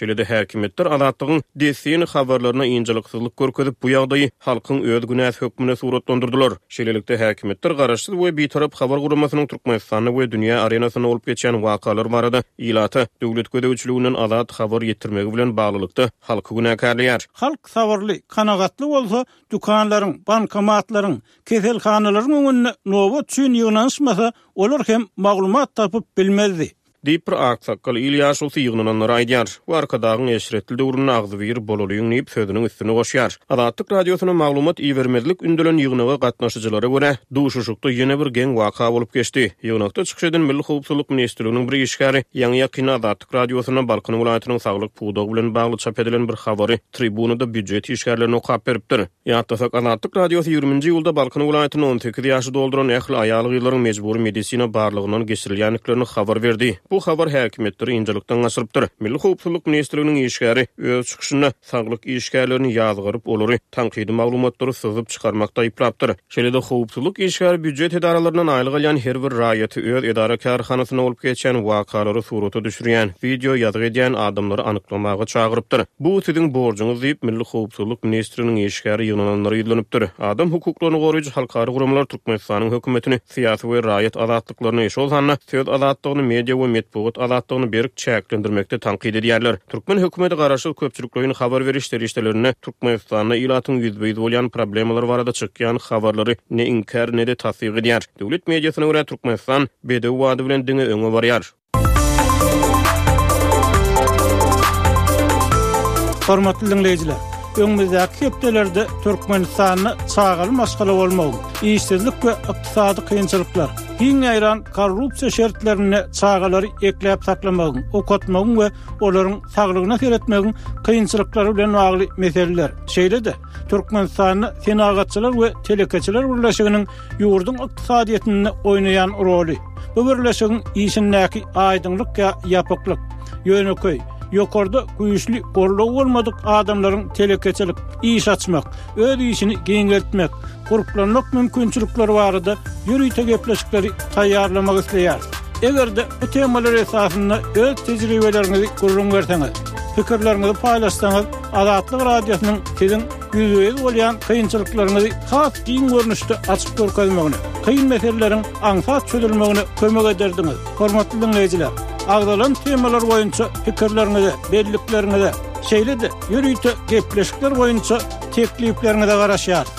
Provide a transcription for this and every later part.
Şeýle-de häkimiýetler Azatlygyň dessin habarlaryna ynjalyksyzlyk görkezip, bu ýagdaýy halkyň öz günäsi hökmünde suratlandyrdylar. Şeýlelikde, häkimiýetler garaşsyz we bitarap habar guramasynyň Türkmenistanda we dünýä arenasynda bolup geçýän wakalar barada ilata döwlet gözegçiliginden azat habar ýetirmegi bilen baglylykda halky günäkärleýär. Halk sabyrly, kanagatly bolsa, dükanlaryň, bankomatlaryň, keselhanalaryň öňünde nobat üçin ýygnanyşmasa, olar hem maglumat tapyp bilmezdi. Diýip, bir aksakgal il ýaşulusy ýygnananlara aýdýar we Arkadagyň eşretli döwründe agzybir bolalyň diýip, sözüniň üstüne goşýar. Azatlyk Radiosyna maglumat ibermezlik ündelen ýygnaga gatnaşyjylara görä, duşuşykda ýene bir geň waka bolup geçdi. Ýygnakda çykyş eden Milli howpsuzlyk ministrliginiň bir işgäri ýaňy-ýakynda Azatlyk Radiosynda Balkan welaýatynyň saglyk pudagy bilen bagly çap edilen bir habary tribunada býujet işgärlerine okap beripdir. Ýatlasak, Azatlyk Radiosy ýigriminji iýulda Balkan welaýatynda 18 ýaşy dolduran ähli aýal-gyzlaryň mejbury medisina barlagyndan geçirilýändiklerini habar berdi. Bu habar häkimiýetleri ynjalykdan gaçyrypdyr. Milli howpsuzlyk ministrliginiň işgäri öz çykyşynda saglyk işgärlerini ýazgaryp, olary tankydy maglumatlary syzyp çykarmakda aýyplapdyr. Şeýle-de, howpsuzlyk işgäri býujet edaralaryndan aýlyk alýan her bir raýaty öz edara-kärhanasynda bolup geçýän wakalary surata düşürýän, wideo ýazgy edýän adamlary anyklamaga çagyrypdyr. Bu siziň borjuňyz diýip, Milli howpsuzlyk ministrliginiň işgäri ýygnananlara ýüzlenipdir. Adam hukuklaryny goraýjy halkara guramalar Türkmenistanyň hökümetini syýasy we raýat azatlyklaryny, şol sanda söz azatlygyny, media we metbugat azatlygyny berk çäklendirmekde tankyt edýärler. Türkmen hökümeti garaşsyz köpçülikleýin habar beriş serişdelerinde Türkmenistanda ilatyň ýüzbe-ýüz bolýan problemalary barada çykýan habarlary ne inkär, ne-de tassyk edýär. Döwlet mediasyna görä, Türkmenistan bedew bady bilen diňe öňe barýar. Hormatly diňleýjiler, öňümizdäki hepdelerde Türkmenistanda çagaly maşgala bolmagyň, işsizlik we ykdysady kynçylyklar, giň ýaýran korrupsiýa şertlerinde çagalary ekläp saklamagyň, okatmagyň we olaryň saglygyna seretmegiň kynçylyklary bilen bagly meseleler, şeýle-de Türkmenistanda Senagatçylar we telekeçiler birleşiginiň ýurduň ykdysadyýetinde oýnaýan roly, bu birleşigiň işindäki aýdyňlyk ýa ýapyklyk, ýönekeý, ýokarda güýçli goldaw bolmadyk adamlaryň telekeçilik, iş açmak, öz işini giňeltmek, gurplanmak mümkinçilikleri barada ýörite gepleşikleri taýýarlamak isleýäris. Eger-de bu temalar esasynda öz tejribeleriňizi gürrüň berseňiz, pikirleriňizi paýlaşsaňyz, Azatlyk Radiosynyň siziň ýüzbe-ýüz bolýan kynçylyklaryňyzy has giň görnüşde açyp görkezmegine, kyn meseleleriň aňsat çözülmegine kömek ederdiňiz. Hormatly diňleýjiler, agzalan temalar boýunça pikirleriňize, bellikleriňize, şeýle-de ýörite gepleşikler boýunça teklipleriňize garaşýarys.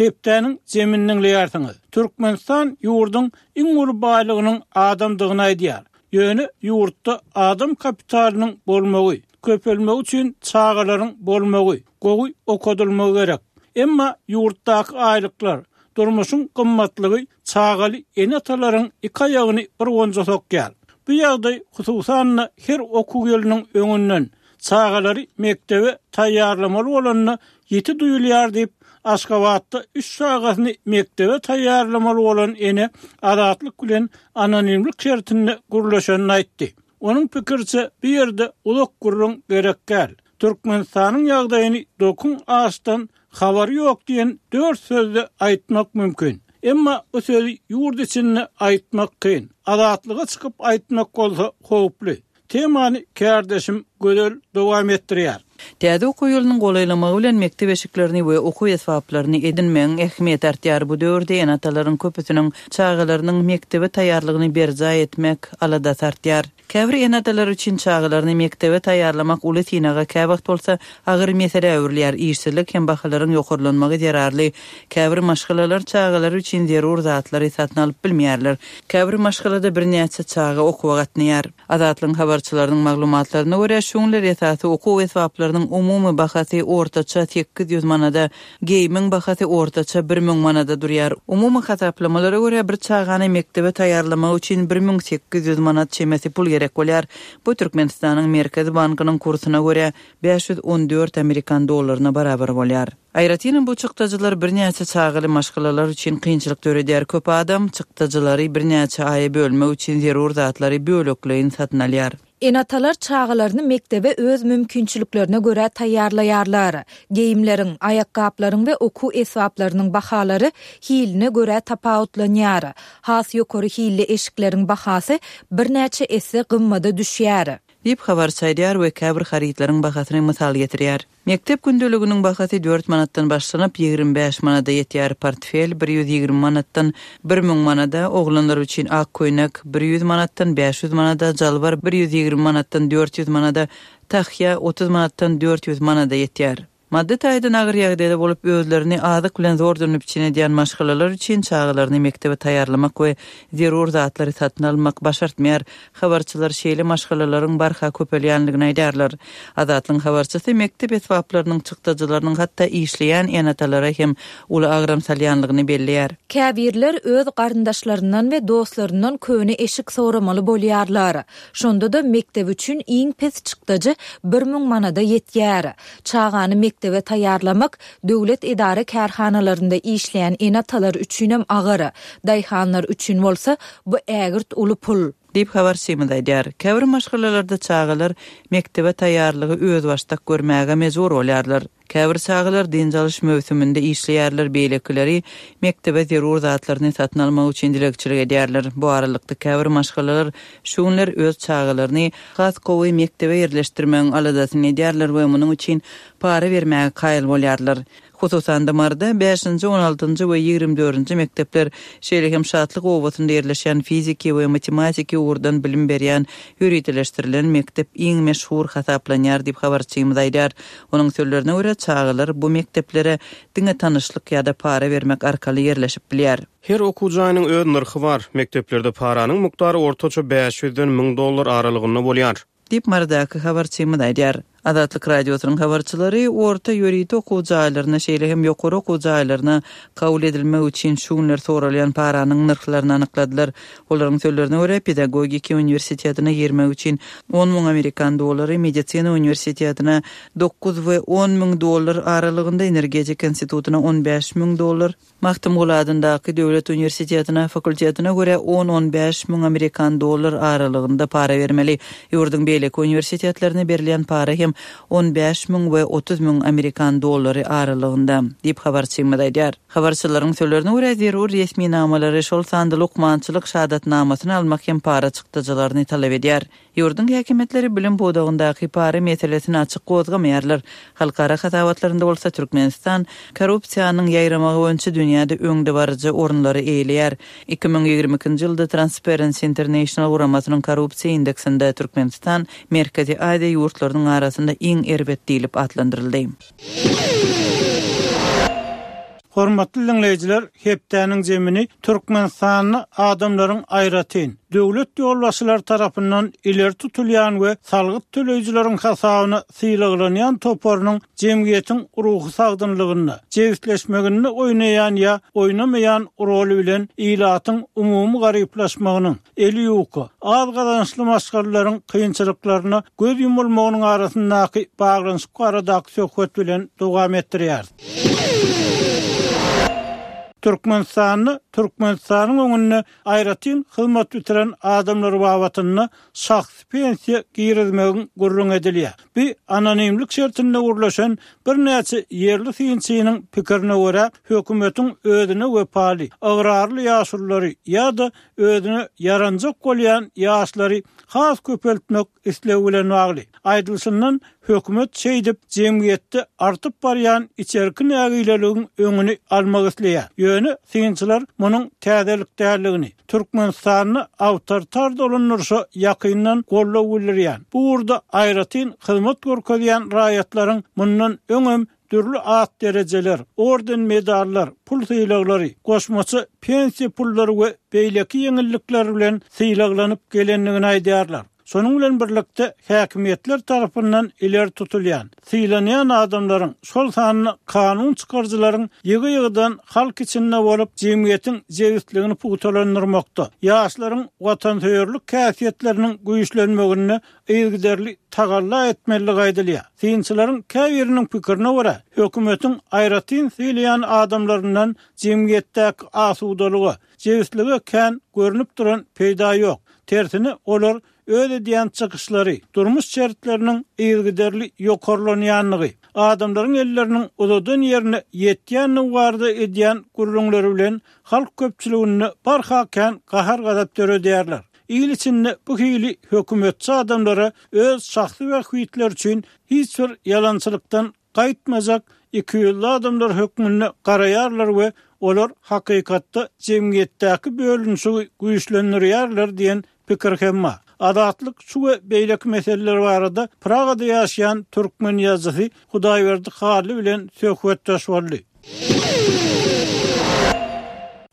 Hepdäniň jemini diňleýärsiňiz. Türkmenistan ýurduň iň uly baýlygynyň adamdygyny aýdýar. Ýöne ýurtda adam kapitalynyň bolmagy, köpelmegi üçin çagalaryň bolmagy, gowy okadylmagy gerek. Emma ýurtdaky aýlyklar, durmuşyň gymmatlygy çagaly ene-atalaryň iki aýagyny bir gonja sokýar. Bu ýagdaý hususan-da her okuw ýylynyň öňünden, çagalary mekdebe taýýarlamaly bolanda ýiti duýulýar diýip, Aşgabatda üç çagasyny mekdebe taýýarlamaly bolan ene Azatlyk bilen anonimlik şertinde gürleşenini aýtdy. Onuň pikiriçe, bu ýerde uzak gürrüň gerek däl. Türkmenistanyň ýagdaýyny dokuň açdan habary ýok diýen dört sözde aýtmak mümkin. Emma bu sözi ýurt içinde aýtmak kyn. Azatlyga çykyp aýtmak bolsa howply. Temany kärdeşim Gözel dowam etdirýär. Täze okuw ýylynyň golaýlamagy bilen mekdep eşiklerini we okuw esbaplaryny edinmegiň ähmiýeti artýar. Bu döwürde ene-atalaryň köpüsiniň çagalarynyň mekdebe taýýarlygyny berjaý etmek aladasy artýar. Käbir ene-atalar üçin çagalaryny mekdebe taýýarlamak uly synaga, käwagt bolsa agyr meselä öwrülýär. Işsizlik hem bahalaryň ýokarlanmagy zerarly käbir maşgalalar çagalary üçin zerur zatlary satyn alyp bilmeýärler. Käbir maşgalada birnäçe çaga okuwa gatnaýar. Azatlygyň habarçylarynyň maglumatlaryna görä, şu günler esasy okuw esbaplarynyň umumy bahasy ortaça 800 manada, geýimiň bahasy ortaça 1000 manada durýar. Umumy hasaplamalara görä, bir çagany mekdebe taýýarlamak üçin 1800 manat çemesi pul gerek bolýar. Bu Türkmenistanyň Merkezi bankynyň kursuna görä, 514 amerikan dollaryna barabar bolýar. Aýratynam bu çykdajylar birnäçe çagaly maşgalalar üçin kynçylyk döredýär. Köp adam çykdajylary birnäçe aýa bölmek üçin zerur zatlary bölekleýin satyn alýar. Ene-atalar çagalaryny mekdebe öz mümkinçiliklerine görä taýýarlaýarlar. Geýimleriň, aýakgaplaryň we okuw esbaplarynyň bahalary hiline görä tapawutlanýar. Has ýokary hilli eşikleriň bahasy birnäçe esse gymmada düşýär. Diýip, habarçy aýdýar we käbir harytlaryň bahasyny mysal getirýär. Mekdep gündeliginiň bahasy dört manatdan başlanyp, 25 manada ýetýär, portfel 120 manatdan 1000 manada, oglanlar üçin ak köýnek 100 manatdan 500 manada, jalbar 120 manatdan 400 manada, tahýa 30 manatdan 400 manada ýetýär. Maddy taýdan agyr ýagdaýda bolup, özlerini azyk bilen zordan üpjün edýän maşgalalar üçin çagalaryny mekdebe taýýarlamak we zerur zatlary satyn almak başartmaýar. Habarçylar şeýle maşgalalaryň barha köpelýändigini aýdýarlar. Azatlygyň habarçysy mekdep esbaplarynyň çykdajylarynyň hatda işleýän ene-atalara hem uly agram salýandygyny belleýär. Käbirler öz garyndaşlaryndan we dostlaryndan köne eşik soramaly bolýarlar. Şonda-da mekdep üçin iň pes çykdajy 1000 manada ýetýär. Çagany mekdebe taýýarlamak döwlet edara-kärhanalarynda işleýän ene-atalar üçinem agyr. Daýhanlar üçin bolsa bu ägirt uly pul. Diýip, habarçymyz aýdýar. Käbir maşgalalarda çagalar mekdebe taýýarlygy özbaşdak görmäge mejbur bolýarlar. Käbir çagalar dynç alyş möwsüminde işleýärler, beýlekileri mekdebe zerur zatlaryny satyn almak üçin dilegçilik edýärler. Bu aralykda, käbir maşgalalar şu günler öz çagalaryny has gowy mekdebe ýerleşdirmegiň aladasyny edýärler we munuň üçin para bermäge kaýyl bolýarlar. Hususan-da, Maryda bäşinji, on altynjy we 20 dördünji mekdepler, şeýle hem Şatlyk obasynda ýerleşýän fiziki we matematiki ugurdan bilim berýän ýöriteleşdirilen mekdep iň meşhur hasaplanýar diýip, habarçymyz aýdýar. Onuň sözlerine görä, çagalar bu mekdeplere diňe tanyşlyk ýa-da para bermek arkaly ýerleşip bilýär. Her okuw jaýynyň öz nyrhy bar. Mekdeplerde paranyň mukdary ortaça bäş ýüzden 1000 dollar aralygynda bolýar. Diýip, Marydaky habarçymyz aýdýar. Azatlyk Radiosynyň habarçylary orta ýörite okuw jaýlaryna, şeýle hem ýokary okuw jaýlaryna kabul edilmek üçin şu günler soralýan paranyň nyrhlaryny anykladylar. Olaryň sözlerine görä, pedagogiki uniwersitetine girmek üçin 10 müň amerikan dollary, medisina uniwersitetine dokuz we on müň dollar aralygynda, energetika institutyna on bäş müň dollar, Magtymguly adyndaky döwlet uniwersitetine fakultetine görä on-on bäş müň amerikan dollar aralygynda para bermeli. Ýurduň beýleki uniwersitetlerine berilýän para hem on bäş müň we 30 müň amerikan dollary aralygynda, diýip habarçymyz aýdýar. Habarçylaryň sözlerine görä, zerur resminamalary, şol sanda lukmançylyk şahadatnamasyny almak hem para çykdajylaryny talap edýär. Ýurduň häkimiýetleri bilim pudagyndaky para meselesini açyk gozgamaýarlar. Halkara hasabatlarynda bolsa Türkmenistan korrupsiýanyň ýaýramagy boýunça dünýäde öňdebaryjy orunlary eýeleýär. 2022-nji ýylda Transparency International guramasynyň korrupsiýa indeksinde Türkmenistan Merkezi Aziýa ýurtlarynyň arasynda iň erbet diýlip atlandyryldy. Hormatly diňleýjiler, hepdäniň jemini Türkmenistanda adamlaryň aýratyn, döwlet ýolbaşçylary tarapyndan ileri tutulýan we salgyt töleýjileriň hasabyna sylaglanýan toparynyň jemgyýetiň ruhy sagdynlygynda, jebisleşmeginde oýnaýan ýa oýnamaýan roly bilen ilatyň umumy garyplaşmagynyň, eli ýuka, az gazançly maşgalalaryň kynçylyklaryna göz ýumulmagynyň arasyndaky baglanyşyk baradaky söhbet bilen dowam etdirýäris. Türkmenistanda Türkmenistanyň öňünde aýratyn hyzmat bitiren adamlar babatynda şahsy pensiýa girizmegiň gürrüňi edilýär. Bu anonimlik şertinde gürleşen birnäçe ýerli synçynyň pikirine görä, hökümetiň özüne wepaly, ygrarly ýaşululary ýa-da özüne ýaranjak bolýan ýaşlary has köpeltmek islegi bilen bagly. Aýdylyşyndan, hökümet şeýdip, jemgyýetde artyp barýan içerki nägileligiň öňüni almak isleýär. Ýöne synçylar munuň täzelik däldigini, Türkmenistanda awtoritar dolandyryşa ýakyndan goldaw bildirýän, bu ugurda aýratyn hyzmat görkezýän raýatlaryň mundan öňem dürli at-derejeler, orden-medallar, pul sylaglary, goşmaça pensiýa pullary we beýleki ýeňillikler bilen sylaglanyp gelendigini aýdýarlar. Şonuň bilen birlikde, häkimiýetler tarapyndan ileri tutulýan, sylanýan adamlaryň, şol sanda kanun çykaryjylaryň ýygy-ýygydan halk içinde bolup, jemgyýetiň jebisligini pugtalandyrmakda, ýaşlaryň watansöýerlik häsiýetleriniň güýçlenmeginde yzygiderli tagalla etmelidigi aýdylýar. Synçylaryň käbiriniň pikirine görä, hökümetiň aýratyn sylaýan adamlaryndan jemgyýetdäki asudalyga, jebislige kän görnüp duran peýda ýok. Tersine, olar öz edýän çykyşlary, durmuş şertleriniň yzygiderli ýokarlanýandygy, adamlaryň elleriniň uzadan ýerine ýetýändigi barada edýän gürrüňleri bilen halk köpçüliginde barha kän gahar-gazap döredýärler. Il içinde bu hili hökümetçi adamlara öz şahsy bähbitleri üçin hiç bir ýalançylykdan gaýtmajak ikiýüzli adamlar hökmünde garaýarlar we olar hakykatda jemgyýetdäki bölünişigi güýçlendirýärler diýen pikir hem bar. Azatlyk şu we beýleki meseleler barada Pragada ýaşaýan türkmen ýazyjysy Hudaýberdi Hally bilen söhbetdeş boldy.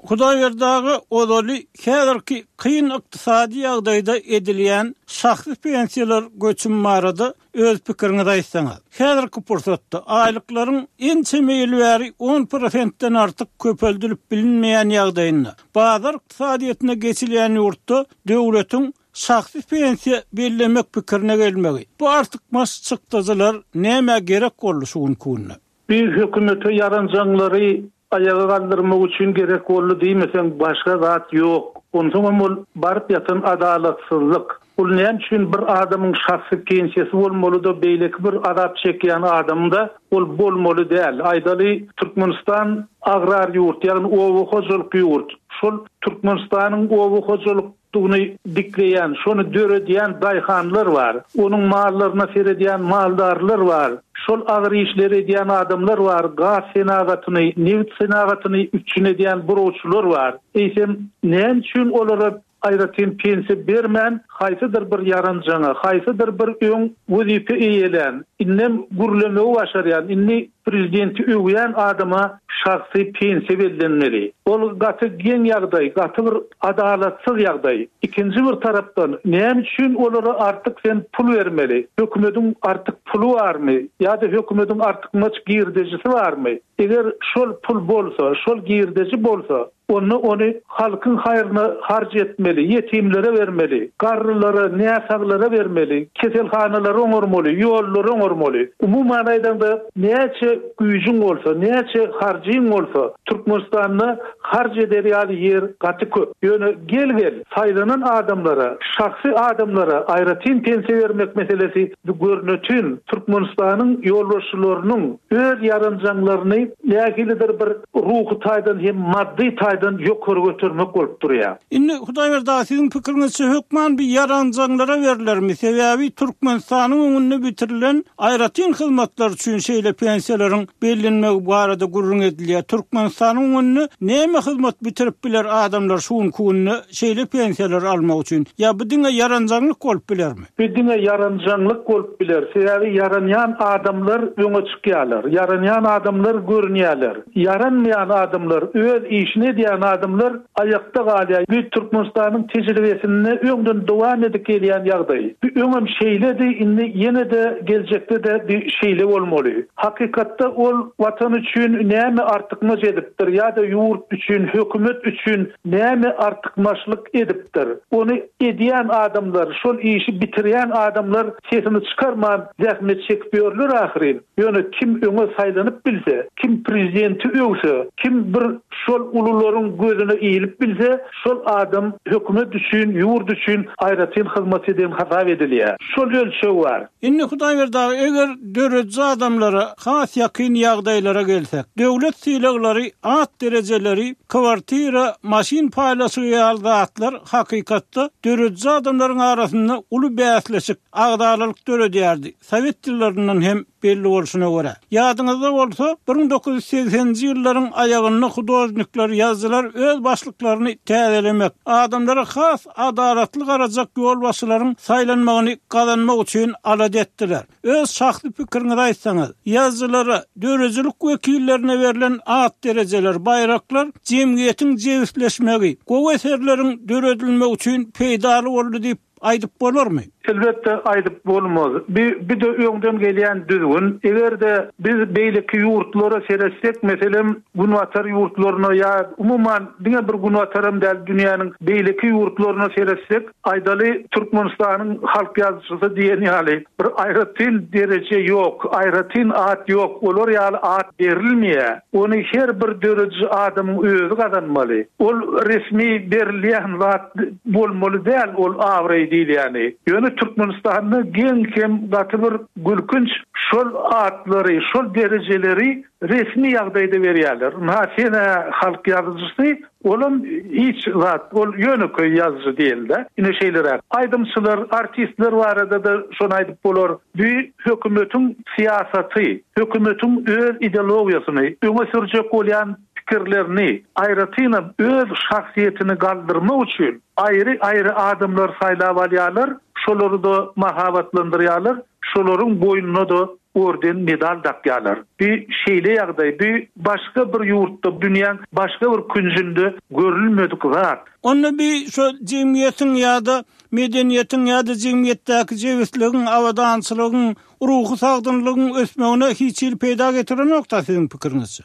Hudaýberdi aga ozaly häzirki kyn ykdysady ýagdaýda edilýän şahsy pensiýalar göçümi barada öz pikiriňizi aýtsaňyz. Häzirki pursatda aýlyklaryň ençeme ýyl bäri on prosentden artyk köpeldilip bilinmeýän ýagdaýynda, bazar ykdysadyýetine geçilýän ýurtda döwletiň şahsy pensiýa bellemek pikirine gelmegi, bu artykmaç çykdajylar nämä gerek boldy şu günki günde? Bir hökümete ýaranjaňlary aýaga galdyrmak üçin gerek boldy diýmeseň başga zat ýok. Onsoňam ol baryp ýatan adalatsyzlyk. Ol näme üçin bir adamyň şahsy pensiýasy bolmalyda beýleki bir azap çekýän adamda ol bolmaly däl. Aýdaly Türkmenistan agrar ýurt ýagny oba hojalyk ýurt. Şol Türkmenistanyň oba hojalyk Dugyny dikleýän, şony döredýän daýhanlar bar. Onuň mallaryna seredýän maldarlar bar. Şol agyr işleri edýän adamlar bar, gaz senagatyny, nebit senagatyny üpjün edýän burawçylar bar. Eýsem, näme üçin olara aýratyn pensiýa bermän, haýsydyr bir ýaranjaňa, haýsydyr bir öň wezipe eýelän, indem gürlemegi başarýan, indi Prezidenti öwýän adama şahsy pensiýa bellenmeli. Ol gaty geň ýagdaý, gaty bir adalatsyz ýagdaý. Ikinji bir tarapdan, näme üçin olara artyk sen pul bermeli? Hökümediň artyk puly barmy? Ýa-da hökümediň artykmaç girdejisi barmy? Eger şol pul bolsa, şol girdeji bolsa, Onda ony halkyň haýryna harç etmeli, ýetimlere bermeli, garrylara, näsaglara bermeli, keselhanalary oňarmaly, ýollary oňarmaly. Umuman aýdaňda, näçe güýjüň bolsa, näçe harjyň bolsa, Türkmenistanda harç eder ýaly ýer gaty köp. Ýöne gel-gel, saýlanan adamlara, şahsy adamlara aýratyn pensiýa bermek meselesi bu görnetin Türkmenistanyň ýolbaşçylarynyň öz ýaranjaňlaryny nähilidir bir ruhy taýdan hem maddy taýdan ýokary götermek bolup durýar. Indi Hudaýberdi aga siziň pikiriňizçe hökman bir ýaranjaňlara berlermi? Sebäbi Türkmenistanyň öňünde bitirilen aýratyn hyzmatlar üçin şeýle pensiýalaryň bellenmegi barada gürrüň edilýär. Türkmenistanyň öňünde näme hyzmat bitirip biler adamlar şu günki günde şeýle pensiýalary almak üçin? Ýa bu diňe ýaranjaňlyk bolup bilermi? Bu diňe ýaranjaňlyk bolup biler, sebäbi ýaranýan adamlar öňe çykýarlar, ýaranýan adamlar görünýärler. Ýaranmaýan adamlar, öz işini edýän adamlar aýakda galýar. Bu Türkmenistanyň tejribesinde öňden dowam edip gelýän ýagdaý. Bu öňem şeýledi, indi ýene-de geljekde-de bu şeýle bolmaly. Hakykatda ol Watan üçin näme artykmaç edipdir ýa-da ýurt üçin, hökümet üçin näme artykmaçlyk edipdir? Ony edýän adamlar, şol işi bitirýän adamlar sesini çykarman zähmet çekip ýörler ahyryn. Ýöne kim öňe saýlanyp bilse, kim prezidenti öwse, kim bir şol ulularyň gözüne ilip bilse, şol adam hökümet üçin, ýurt üçin aýratyn hyzmat eden hasap edilýär. Şol ölçeg bar. Indi Hudaýberdi aga, eger dörediji adamlara has ýakyn ýagdaýlara gelsek, döwlet sylaglary, at derejeleri, kwartira, maşyn paýlaşygy ýaly zatlar hakykatda dörediji adamlaryň arasynda uly bäsleşik, agzalalyk döredýärdi, sowet ýyllaryndan hem belli bolşuna görä. Ýadyňyzda bolsa, 1980-nji ýyllaryň aýagynda hudožnikler, ýazyjylar öz başlyklaryny täzelemek, adamlara has adalatly garajak ýolbaşçylaryň saýlanmagyny gazanmak üçin alada etdiler. Öz şahsy pikiriňizi aýtsaňyz, ýazyjylara, döredijilik wekillerine berlen at-derejeler, baýraklar jemgyýetiň jebisleşmegi, gowy eserleriň döredilmegi üçin peýdaly boldy diýip aýdyp bolarmy? Elbetde, aýdyp bolmaz. Bi, bi-de öňden gelýän düzgün. Eger-de biz beýleki ýurtlara seretsek, meselem, Günbatar ýurtlaryna ýa umuman diňe bir Günbataram däl, dünýäniň beýleki ýurtlaryna seretsek, aýdaly, Türkmenistanyň halk ýazyjysy diýen ýaly bir aýratyn dereje ýok, aýratyn at ýok, olar ýaly at berilmeýär. Ony her bir dörediji adamyň özi gazanmaly. Ol resmi berilýän zat bolmaly däl ol abraý. diýilýäni. Ýöne Türkmenistanda geň hem gaty bir gülkünç şol atlary, şol derejeleri resmi ýagdaýda berýärler. Ynha sen-ä halk ýazyjysy, olam hiç zat, ol ýönekeý ýazyjy diýeli-dä. Ine şeýleräk. Aýdymçylar, artistler barada-da şony aýdyp bolar. Bu hökümetiň syýasaty, hökümetiň öz ideologiýasyny öňe sürjek bolýan pikirlerini, aýratynam öz şahsyýetini galdyrmak üçin aýry-aýry adamlary saýlap alýarlar, şolary-da mahabatlandyrýarlar, şolaryň boýnuna-da orden, medal dakýarlar. Bu şeýle ýagdaý, bu başga bir ýurtda, dünýäň başga bir künjünde görülmedik zat. Onda bi şo jemgyýetiň ýa-da medeniýetiň ýa-da jemgyýetdäki jebisligiň, abadançylygyň, ruhy sagdynlygyň ösmegine hiç hili peýda getirenok-da siziň pikiriňizçe?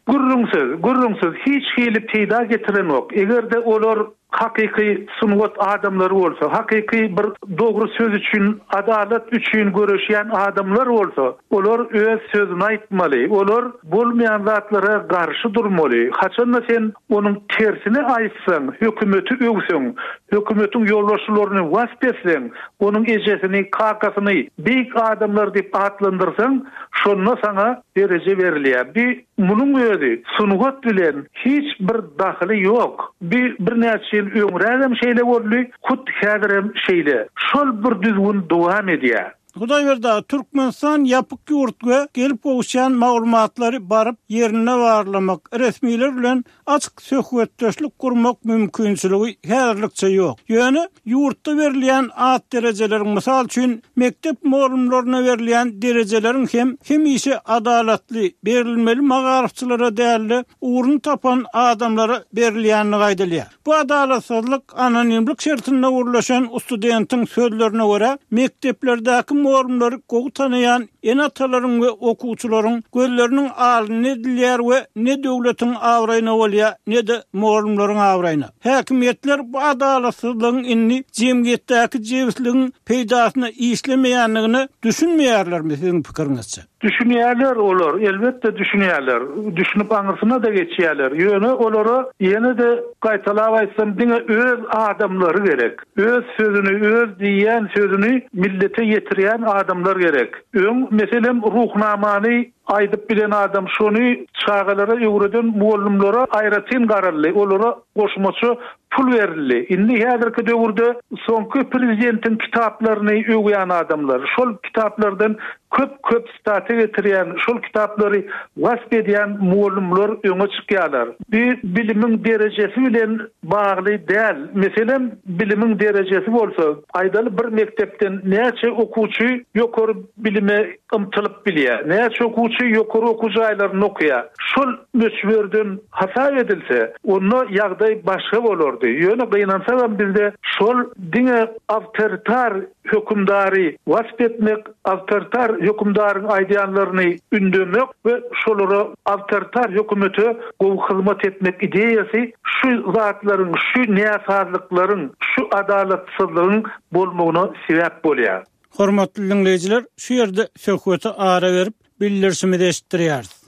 Gürrüňsiz, gürrüňsiz, hiç hili peýda getirenok. Eger-de olar hakyky sungat adamlary bolsa, hakyky bir dogry söz üçin, adalat üçin göreşýän adamlar bolsa, olar öz sözüni aýtmaly, olar bolmaýan zatlara garşy durmaly. Haçanda sen onuň tersini aýtsaň, hökümeti öwseň, hökümetiň ýolbaşçylaryny wasp etseň, onuň ejesini, kakasyny beýik adamlar diýip atlandyrsaň, şonda saňa dereje berilýär. Bi munuň özi sungat bilen hiç bir dahyly ýok. Bi birnäçe ýyl öňrägem şeýle boldy, hut häzirem şeýle. Şol bir düzgün dowam edýär. Hudaýberdi aga, Türkmenistan ýapyk ýurt we gelip gowuşýan maglumatlary baryp ýerinde barlamak, resmiler bilen açyk söhbetdeşlik gurmak mümkinçiligi häzirlikçe ýok. Ýöne ýurtda berilýän at-derejeleriň, mysal üçin, mekdep mugallymlaryna berilýän derejeleriň hem hemişe adalatly berilmeli magaryfçylara däl-de, ugruny tapan adamlara berilýändigi aýdylýar. Bu adalatsyzlyk anonimlik şertinde gürleşen studentiň sözlerine görä, mekdeplerdäki mugallymlary gowy tanaýan ene-atalaryň we okuwçylaryň gözleriniň alnynda edilýär we ne döwletiň abraýyna bolýar, ne-de mugallymlaryň abraýyna. Häkimiýetler bu adalatsyzlygyň indi jemgyýetdäki jebisligiň peýdasyna işlemeýändigine düşünmeýärlermi siziň pikiriňizçe? Düşünýärler olar, elbetde düşünýärler. Düşünip aňyrsyna-da geçýärler. Ýöne olara ýene-de gaýtalap aýtsam diňe öz adamlary gerek. Öz sözüni, öz diýýän sözüni millete ýetirýän adamlar gerek. Öň, meselem, Ruhnamany aýdyp bilen adam şony çagalara öwreden mugallymlara aýratyn garaldy, olara goşmaça pul berildi. Indi häzirki döwürde soňky prezidentiň kitaplaryny öwýän adamlar, şol kitaplardan köp-köp sitata getirýän, şol kitaplary wasp edýän mugallymlar öňe çykýarlar. Bu bilimiň derejesi bilen bagly däl. Meselem, bilimiň derejesi bolsa, aýdaly bir mekdepden näçe okuwçy ýokary bilime ymtylyp bilýär, näçe okuwçy ýokary okuw jaýlarynda okaýar, şol möçberden hasap edilse, onda ýagdaý başga bolardy. Ýöne gynansagam bizde şol diňe awtoritar hökümdary wasp etmek, awtoritar hökümdaryň aýdýanlaryny ündemek we şolara awtoritar hökümete gowy hyzmat etmek ideýasy şu zatlaryň, şu näsazlyklaryň, şu adalatsyzlygyň bolmagyna sebäp bolýar. Hormatly diňleýjiler, şu ýerde söhbete ara berip, bildirişimizi eşitdirýäris.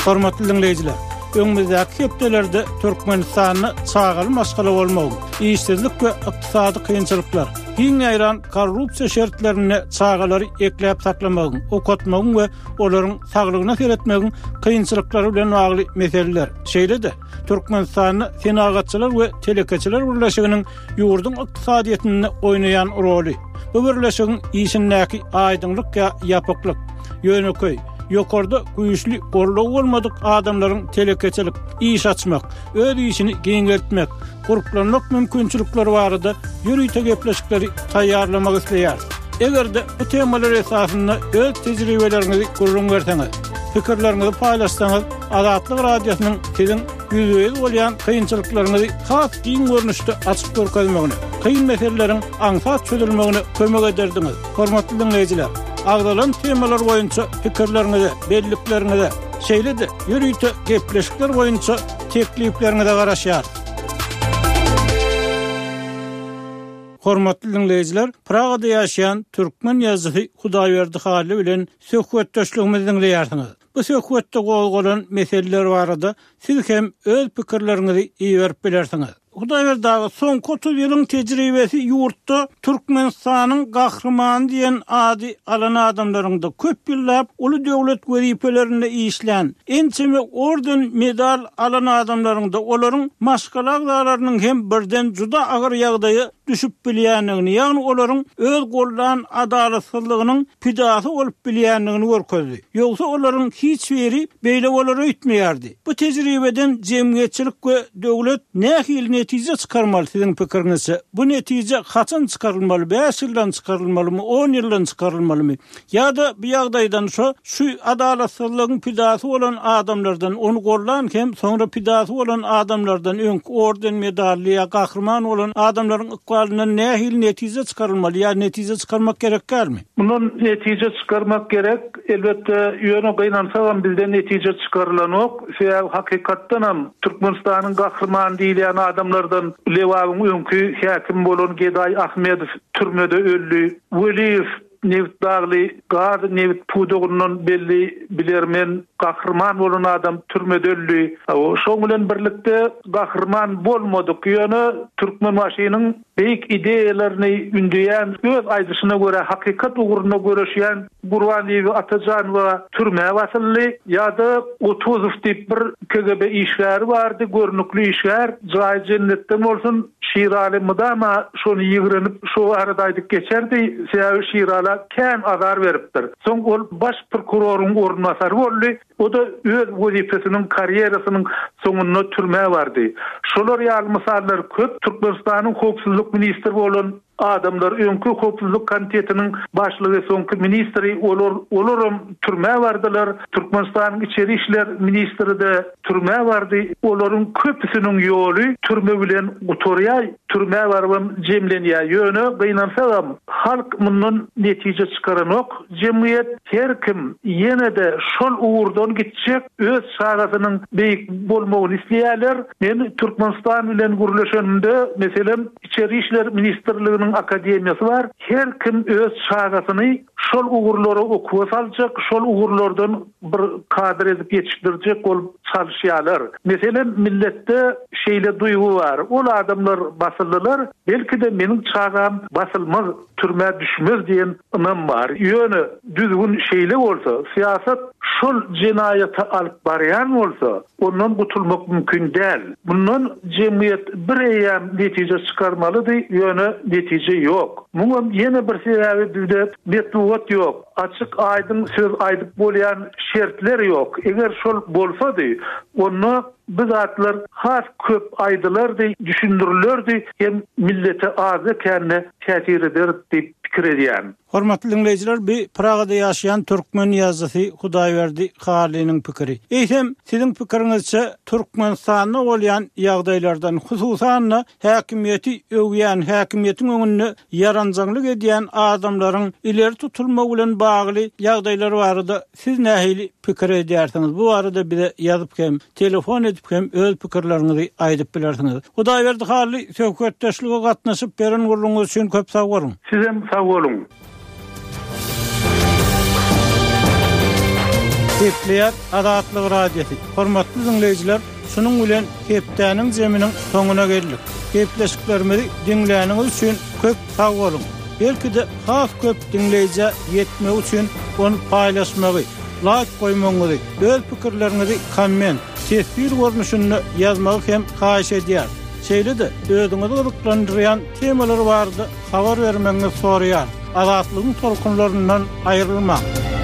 Hormatly diňleýjiler, öňümizdäki hepdelerde Türkmenistanda çagaly maşgala bolmagyň, işsizlik we ykdysady kynçylyklar, giň ýaýran korrupsiýa şertlerinde çagalary ekläp saklamagyň, okatmagyň we olaryň saglygyna seretmegiň kynçylyklary bilen bagly meseleler, şeýle-de Türkmenistanda Senagatçylar we telekeçiler birleşiginiň ýurduň ykdysadyýetinde oýnaýan roly, bu birleşigiň işindäki aýdyňlyk ýa ýapyklyk, ýönekeý, ýokarda güýçli goldaw bolmadyk adamlaryň telekeçilik, iş açmak, öz işini giňeltmek, gurplanmak mümkinçilikleri barada ýörite gepleşikleri taýýarlamak isleýäris. Eger-de bu temalar esasynda öz tejribeleriňizi gürrüň berseňiz, pikirleriňizi paýlaşsaňyz, Azatlyk Radiosynyň siziň ýüzbe-ýüz bolýan kynçylyklaryňyzy has giň görnüşde açyp görkezmegine, kyn meseleleriň aňsat çözülmegine kömek ederdiňiz. Hormatly diňleýjiler, agzalan temalar boýunça pikirleriňize, bellikleriňize, şeýle-de ýörite gepleşikler boýunça teklipleriňize garaşýarys. Hormatly diňleýjiler, Pragada ýaşaýan türkmen ýazyjysy Hudaýberdi Hally bilen söhbetdeşligimizi diňleýärsiňiz. Bu söhbetde gozgalan meseleler barada siz hem öz pikirleriňizi iberip bilersiňiz. Hudaýberdi aga, soňky 30 ýylyň tejribesi ýurtda Türkmenistanyň Gahrymany diýen ady alan adamlaryň-da, köp ýyllap uly döwlet wezipelerinde işlän, ençeme orden, medal alan adamlaryň-da, olaryň maşgala agzalarynyň hem birden juda agyr ýagdaýa düşüp bilýändigini, ýagny olaryň öz goldan adalatsyzlygynyň pidasy bolup bilýändigini görkezdi. Ýogsa olaryň hiç biri beýle bolar öýtmeýärdi. Bu tejribeden jemgyýetçilik we döwlet nähili netije çykarmaly siziň pikiriňizçe? Bu netije haçan çykarylmaly, bäş ýyldan çykarylmalymy, on ýyldan çykarylmalymy? Ýa-da bu ýagdaýdan şo şu adalatsyzlygyň pidasy bolan adamlardan, ony gollan hem soňra pidasy bolan adamlardan, öňki orden medally ýa gahryman bolan adamlaryň ykbalyndan nähili netije çykarylmaly ýa netije çykarmak gerek dälmi? Mundan netije çykarmak gerek, elbetde, ýöne gynansagam bizde netije çykarylanok, sebäbi hakykatdanam Türkmenistanyň gahrymany diýilýän adamlardan Lebabyň öňki häkimi bolan Gedaý Ahmedow türmede öldi, Weliýew Nebit dagly gaz nebit pudagyndan belli bilermen gahryman bolan adam türmede öldi. Şoň bilen birlikde gahryman bolmadyk ýöne Türkmenbaşynyň beýik ideýalaryny ündeýän öz aýdyşyna görä hakykat ugrunda göreşýän Gurbanbibi Atajanowa türmä basyldy ýa-da Otuzow diýip bir KGB işgäri bardy görnükli işgär jaýy jennetden bolsun Şiraly mydama şony ýigrenip, şo barada aýdyp geçerdi, sebäbi Şirala kän azar beripdir. Soň ol baş prokuroryň orunbasary boldy, o-da öz wezipesiniň, karýerasynyň soňunda türmä bardy. Şolar ýaly mysallar köp. Türkmenistanyň howpsuzlyk ministri bolan adamlar, öňki howpsuzlyk komitetiniň başlygy, soňky ministri, olar, olaram türmä bardylar. Türkmenistanyň içeri işler ministri-de Türmä bardy. Olaryň köpüsiniň ýoly türme bilen gutarýar, türmä barybam jemlenýär. Ýöne, gynansagam, halk mundan netije çykaranok. Jemgyýet, her kim ýene-de şol ugurdan gitjek, öz çagasynyň beýik bolmagyny isleýärler. Men Türkmenistan bilen gürleşenimde, meselem, Içeri işler ministrliginiň akademiýasy bar, her kim öz çagasyny şol ugurlara okuwa saljak, şol ugurlardan bir kadr edip ýetişdirjek bolup çalyşýarlar. Meselem, milletde şeýle duýgy bar, ol adamlar basyldylar, belki-de meniň çagam basylmaz, türmä düşmez diýen ynam bar. Ýöne düzgün şeýle bolsa, syýasat şol jenaýata alyp barýan bolsa, ondan gutulmak mümkin däl. Mundan jemgyýet bir eýýäm netije çykarmalydy, ýöne netije ýok. Muňam ýene bir sebäbi bizde metbugat ýok. Açyk aýdyň söz aýdyp bolýan şertler ýok. Eger şol bolsady, onda bu zatlar has köp aýdylardy, düşündirilerdi hem millete azda-kände täsir eder diýip pikir edýän. Hormatly diňleýjiler, bu Pragada ýaşaýan türkmen ýazyjysy Hudaýberdi Hallynyň pikiri. Eýsem, siziň pikiriňizçe, Türkmenistanda bolýan ýagdaýlardan, hususan-da, häkimiýeti öwýän, häkimiýetiň öňünde ýaranjaňlyk edýän adamlaryň ileri tutulmagy bilen bagly ýagdaýlar barada siz nähili pikir edýärsiňiz? Bu barada bize ýazyp hem, telefon edip hem öz pikirleriňizi aýdyp bilersiňiz. Hudaýberdi Hally, söhbetdeşlige gatnaşyp beren gürrüňiňiz üçin köp sag boluň! Sizem sag boluň! Gepleýär Azatlyk Radiosy. Hormatly diňleýjiler, şunuň bilen hepdäniň zeminiň soňuna geldik. Gepleşiklerimizi diňläniňiz üçin köp sag boluň. Belki-de has köp diňleýjä ýetmegi üçin ony paýlaşmagy, laýk goýmagyňyzy, öz pikirleriňizi komment, teswir görnüşinde ýazmagy hem haýyş edýäris. Şeýle-de özüňizi gyzyklandyrýan temalar barada habar bermegiňizi soraýarys. Azatlygyň tolkunlaryndan aýrylmaň!